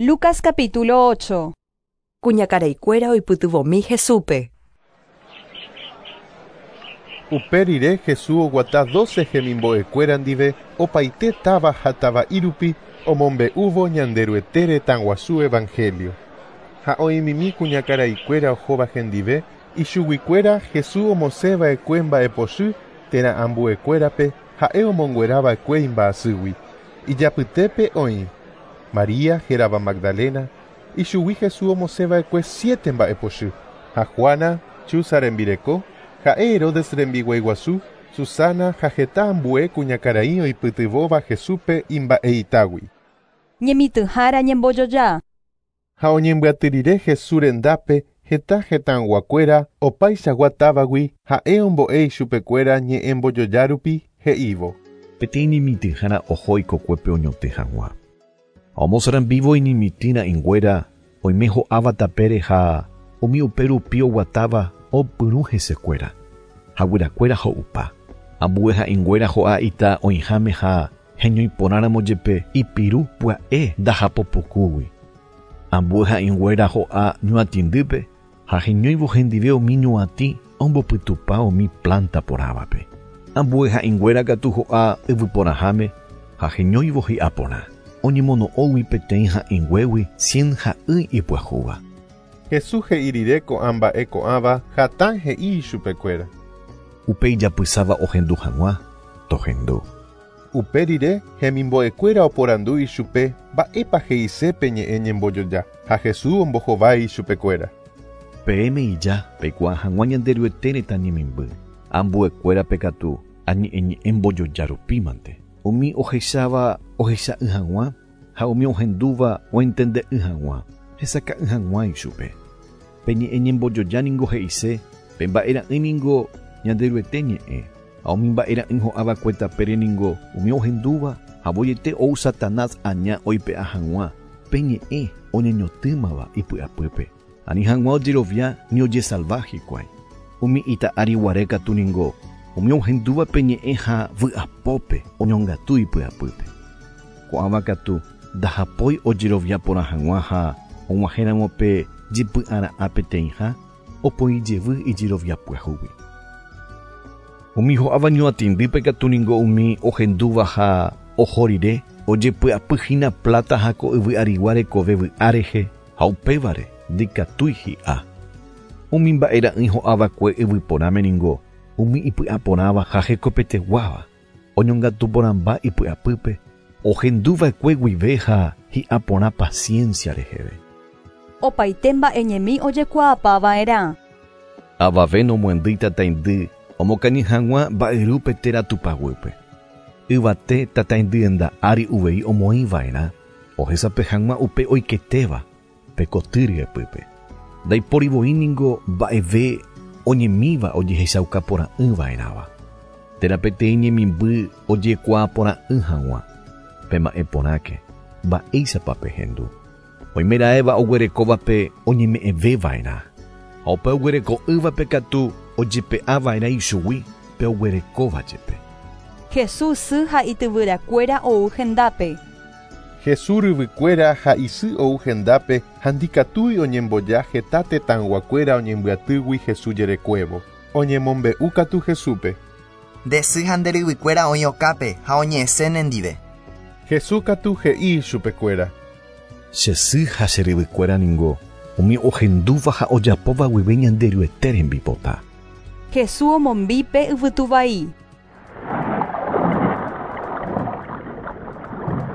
Lucas capítulo 8. Kuñakaraikuéra oipytyvõmi Jesúspe. Upe rire Jesús oguata 12 hemimbo'ekuéra ndive opaite táva ha tava'i rupi omombe'úvo Ñanderuete retãguasu evangelio. Ha oĩmimi kuñakaraikuéra ohóva hendive ichuguikuéra Jesús omosẽva'ekue mba'epochy térã ambuekuérape ha'e omonguerava'ekue imba'asýgui. Ijapytépe oĩ María hérava Magdalena, ichugui Jesús omosẽva'ekue 7 mba'epochy, ha Juana, Chuza rembireko, ha'e Herodes rembiguaiguasu, Susana ha heta ambue kuñakarai oipytyvõva Jesúspe imba'eitágui. Ñemitỹhára ñembojoja. Ha oñembyaty rire Jesús rendápe heta hetãyguakuéra opaichagua távagui ha'e ombo'e ichupekuéra ñe'ẽ mbojoja rupi he'ívo. Peteĩ ñemitỹhára oho ikokuépe oñotỹ hag̃ua. Ha omosarambivo iñemitỹ ra'ỹinguéra oime ho'áva tapére ha umi upe rupi oguatáva opyrũ hesekuéra. Ha guyrakuéra ho'upa. Ambue ha'ỹinguéra ho'a ita oĩháme ha heñoiporãramo jepe ipiru pya'e ndahapopukúgui. Ambue ha'ỹinguéra ho'a ñuatĩndýpe ha heñóivo hendive umi ñuatĩ ombopytupa umi planta porãvape. Ambue ha'ỹinguéra katu ho'a yvyporãháme ha heñóivo hi'aporã. Oñemono'õgui peteĩ ha'ỹinguégui 100 ha'ỹi ipyahúva. Jesús he'i rire ko'ã mba'e ko'ãva hatã he'i ichupekuéra. Upe ijapysáva ohendu hag̃ua, tohendu. Upe rire hemimbo'ekuéra oporandu ichupe mba'épa he'ise pe ñe'ẽ ñembojoja ha Jesús ombohovái ichupekuéra. Peẽme ija peikuaa hag̃ua Ñanderuete retã ñemimby. Ambuekuérape katu añe'ẽ ñe'ẽ mbojoja rupímante. Umi ohecháva ohecha'ỹ hag̃ua ha umi ohendúva oentende'ỹ hag̃ua, hesaka'ỹ hag̃ua ichupe. Pe ñe'ẽ ñembojoja ningo he'ise pe mba'era'ỹ ningo Ñanderuete ñe'ẽ. Ha umi mba'era'ỹ ho'ava'ekue tapére ningo umi ohendúva ha voiete ou Satanás aña oipe'a hag̃ua pe ñe'ẽ oñeñotỹmava ipy'apýpe. Ani hag̃ua ojerovia ni ojesalva hikuái. Umi ita ári guare katu ningo umi ohendúva pe ñe'ẽ ha vy'apópe oñongatu ipy'apýpe. Ko'ãva katu ndahapói ojerovia porã hag̃ua ha og̃uahẽramo pe jepy'ara'ã peteĩha opoijevy ijerovia pyahúgui. Umi ho'áva ñuatĩndýpe katu ningo umi ohendúva ha oho rire ojepy'apyhína plata ha ko yvy arigua rekove vy'a rehe ha upévare ndikatúi hi'a. Umi mba'era'ỹi ho'ava'ekue yvyporãme ningo umi ipy'aporãva ha hekopeteguáva oñongatu porãmba ipy'apýpe ohenduva'ekue guive ha hi'aporã paciencia reheve. Opaite mba'e ñemi ojekuaapava'erã. Avave nomoendýi tataindy omokañy hag̃ua mba'yrúpe térã tupaguýpe. Yvate tataindyenda ári uvei omoĩva'erã ohesape hag̃ua upe oiketéva pe koty ryepýpe. Ndaipórivoi ningo mba'eve oñemíva ojehechaukaporã'ỹva'erãva. Térã peteĩ ñemimby ojekuaaporã'ỹ hag̃ua. Pe mba'e porãke, mba'éichapa pehendu. Oimeraẽva oguerekóvape oñeme'ẽveva'erã. Ha upe oguereko'ỹvape katu ojepe'ava'erã ichugui pe oguerekóva jepe. Jesús sy ha ityvyrakuéra ou hendápe. Jesús ryvykuéra ha isy ou hendápe ha ndikatúi oñemboja heta tetãyguakuéra oñembyatýgui Jesús jerekuévo. Oñemombe'u katu Jesúspe. Nde sy ha nde ryvykuéra oĩ okápe ha oñe'ẽse nendive. Jesús katu he'i ichupekuéra. Che sy ha che ryvykuéra ningo umi ohendúva ha ojapóva guive Ñanderuete rembipota. Jesús omombípe yvytuvai.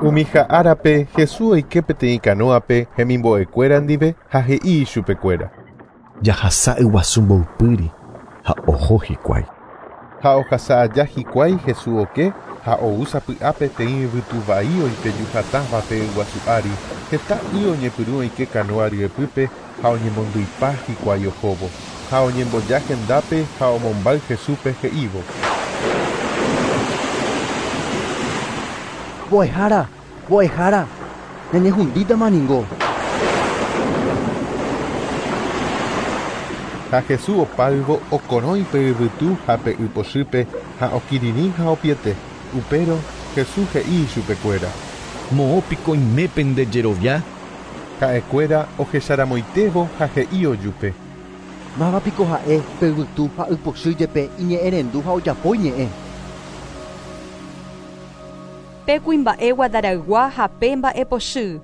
Umi ha'árape Jesús oike peteĩ kanóape hemimbo'ekuéra ndive ha he'i ichupekuéra. Jahasa yguasu mboypýri ha oho hikuái. Ha ohasa aja hikuái Jesús oke ha ou sapy'a peteĩ yvytuvai oipeju hatãva pe yguasu ári heta y oñepyrũ oike kanóa ryepýpe ha oñemondýipa hikuái ohóvo. Ha oñemboja hendápe ha omombáy Jesúspe he'ívo. Mbo'ehára, mbo'ehára, ñañehundítama ningo. Ha Jesús opáyvo okorõi pe yvytu ha pe ypochýpe ha okirirĩ ha opiete. Upérõ Jesús he'i ichupekuéra. Moõ piko oime pende jerovia? Ha'ekuéra ohecharamoitévo ha he'i ojupe. Mávapiko ha'e pe yvytu ha ypochy jepe iñe'ẽrendu ha ojapo iñe'ẽ. Pe kuimba'e Gadaraygua ha pe mba'epochy.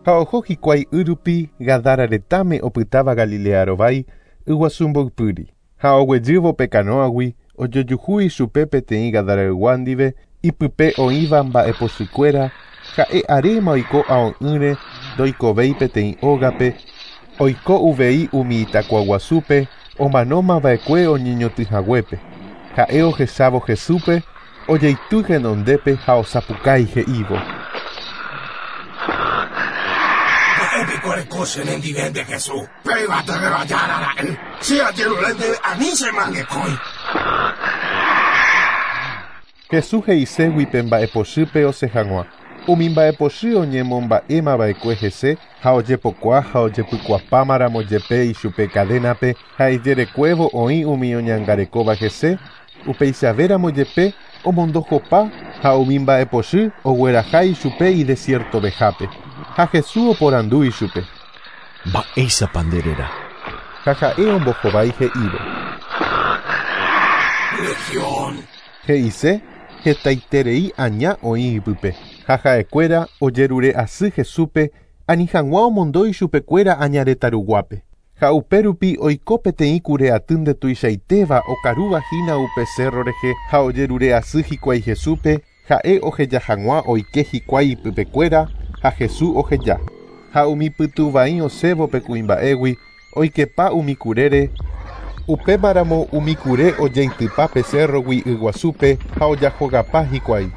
Ha oho hikuái yrupi Gadara retãme opytáva Galilea rovái yguasu mboypýri. Ha oguejývo pe canoagui ojojuhu ichupe peteĩ Gadaraygua ndive ipype oĩva mba'epochykuéra ha'e aréma oiko ao'ỹre ndoikovéi peteĩ ógape oiko uvei umi itakuaguasúpe omanómava'ekue oñeñotỹhaguépe. Ha'e ohechávo Jesúspe ojeity henondépe ha osapukái he'ívo. Mba'épiko ereko che nendive nde Jesús, pe yvatevéva Jára ra'y, che ajerure ndéve ani chemangekói. Jesús he'iségui pe mba'epochýpe osẽ hag̃ua. Umi mba'epochy oñemomba'émava'ekue hese ha ojepokuaa ha ojepykuapámaramo jepe ichupe cadénape ha ijerekuévo oĩ umi oñangarekóva hese, upeichavéramo jepe omondohopa ha umi mba'epochy ogueraha ichupe idesiertovehápe. Ha Jesús oporandu ichupe. Mba'éichapa nde réra. Ha ha'e ombohovái he'ívo. Legión. He'ise hetaiterei aña oĩ ipype. Ha ha'ekuéra ojerure asy Jesúspe ani hag̃ua omondo ichupekuéra aña retã ruguápe. Ha upérupi oiko peteĩ kure aty ndetuichaitéva okaruvahína upe cerro rehe ha ojerure asy hikuái Jesúspe ha'e oheja hag̃ua oike hikuái ipypekuéra ha Jesús oheja. Ha umi pytũvai osẽvo pe kuimba'égui oikepa umi kurére upémaramo umi kure ojeitypa pe cerrogui yguasúpe ha ojahogapa hikuái.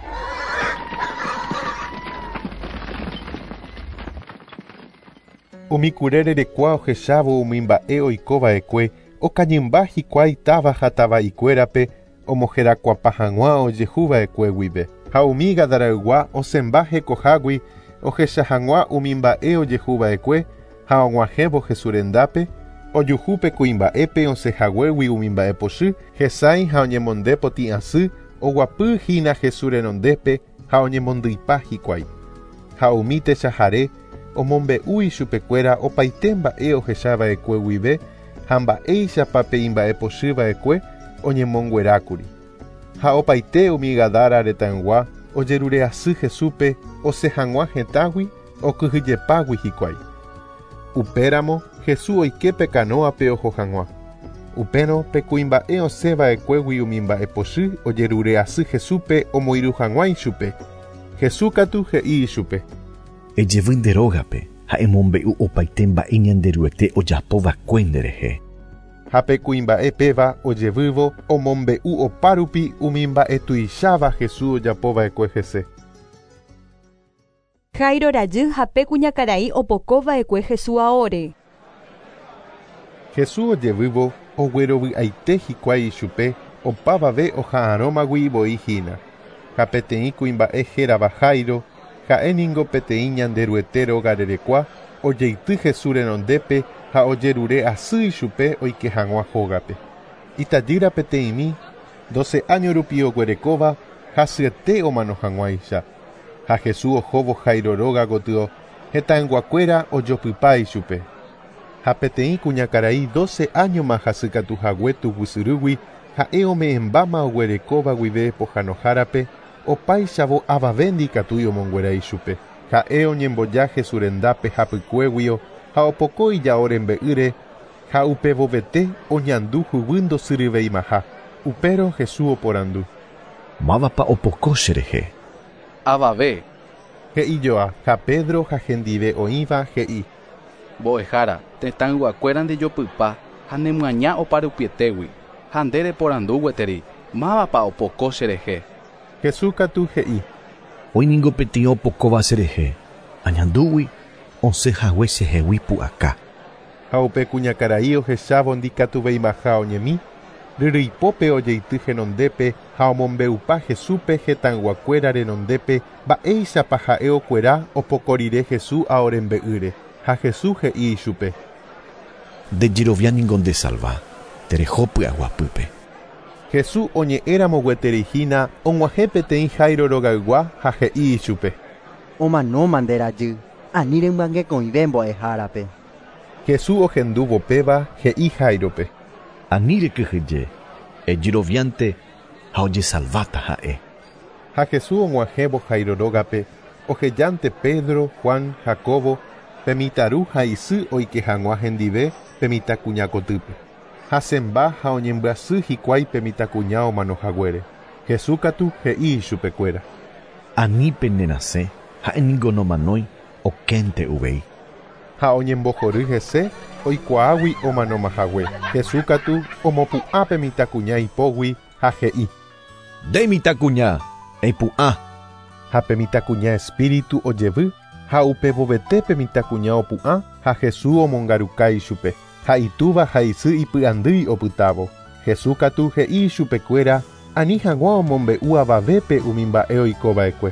Umi kure rerekua ohechávo umi mba'e oikova'ekue okañymba hikuái táva ha tava'ikuérape omoherakuapa hag̃ua ojehuva'ekue guive. Ha umi Gadaraygua osẽmba hekohágui ohecha hag̃ua umi mba'e ojehuva'ekue ha og̃uahẽvo Jesús rendápe ojuhu pe kuimba'épe osẽhaguégui umi mba'epochy hesãi ha oñemonde potĩ asy oguapy hína Jesús renondépe ha oñemondýipa hikuái. Ha umi techahare omombe'u ichupekuéra opaite mba'e ohechava'ekue guive ha mba'éichapa pe imba'epochyva'ekue oñemonguerákuri. Ha opaite umi Gadara retãygua ojerure asy Jesúspe osẽ hag̃ua hetãgui okyhyjepágui hikuái. Upéramo Jesús oike pe canoape oho hag̃ua. Upérõ pe kuimba'e osẽva'ekuégui umi mba'epochy ojerure asy Jesúspe omoirũ hag̃ua ichupe. Jesús katu he'i ichupe. Ejevy nde rógape ha emombe'u opaite mba'e Ñanderuete ojapova'ekue nderehe. Ha pe kuimba'e péva ojevývo omombe'u opárupi umi mba'e tuicháva Jesús ojapova'ekue hese. Jairo rajy ha pe kuñakarai opokova'ekue Jesús aóre. Jesús ojevývo oguerovy'aite hikuái ichupe opavave oha'arõmagui voi hína. Ha peteĩ kuimba'e hérava Jairo ha'e ningo peteĩ Ñanderuete róga rerekua ojeity Jesús renondépe ha ojerure asy ichupe oike hag̃ua hógape. Itajýra peteĩmi 12 año rupi oguerekóva hasyete omano hag̃uáicha. Ha Jesús ohóvo Jairo róga gotyo hetãyguakuéra ojopypa ichupe. Ha peteĩ kuñakarai 12 añoma hasykatuhague tuguysyrýgui ha'e ome'ẽmbáma oguerekóva guive pohãnohárape opáichavo avave ndikatúi omonguera ichupe. Ha'e oñemboja Jesús rendápe hapykuéguio ha opoko ijao rembe'ýre ha upevovete oñandu huguy ndosyryveimaha. Upérõ Jesús oporandu. Mávapa opoko cherehe. Avave. He'ijoa ha Pedro ha hendive oĩva he'i. Mbo'ehára, tetãyguakuéra ndejopypa ha nemyaña oparupietégui ha nde reporandu gueteri mávapa opoko cherehe. Jesús katu he'i. Oĩ ningo peteĩ opokóva cherehe. Añandúgui osẽhague chehegui pu'aka. Ha upe kuñakarai ohechávo ndikatuveimaha oñemi, ryryipópe ojeity henondépe ha omombe'upa Jesúspe hetãyguakuéra renondépe mba'éichapa ha'e okuera opoko rire Jesús ao rembe'ýre. Ha Jesús he'i ichupe. Nde jerovia ningo ndesalva. Tereho py'aguapýpe. Jesús oñe'ẽramo gueteri hína og̃uahẽ peteĩ Jairo rogaygua ha he'i ichupe. Omanóma nde rajy. Ani remyangekõive mbo'ehárape. Jesús ohendúvo péva he'i Jairope. Ani rekyhyje, ejeroviánte ha ojesalváta ha'e. Ha Jesús og̃uahẽvo Jairo rógape ohejánte Pedro, Juan, Jacobo, pe mitãru ha isy oike hag̃ua hendive pe mitãkuña kotýpe. Hasẽmba ha oñembyasy hikuái pe mitãkuña omanohaguére. Jesús katu he'i ichupekuéra. Ani penerasẽ, ha'éniko nomanói, okénte uvei. Ha oñembohory hese oikuaágui omanomahague. Jesús katu omopu'ã pe mitãkuña ipógui ha he'i. Nde mitãkuña, epu'ã. Ha pe mitãkuña espíritu ojevy ha upevovete pe mitãkuña opu'ã ha Jesús omongaruka ichupe. Ha itúva ha isy ipy'andýi opytávo. Jesús katu he'i ichupekuéra ani hag̃ua omombe'u avavépe umi mba'e oikova'ekue.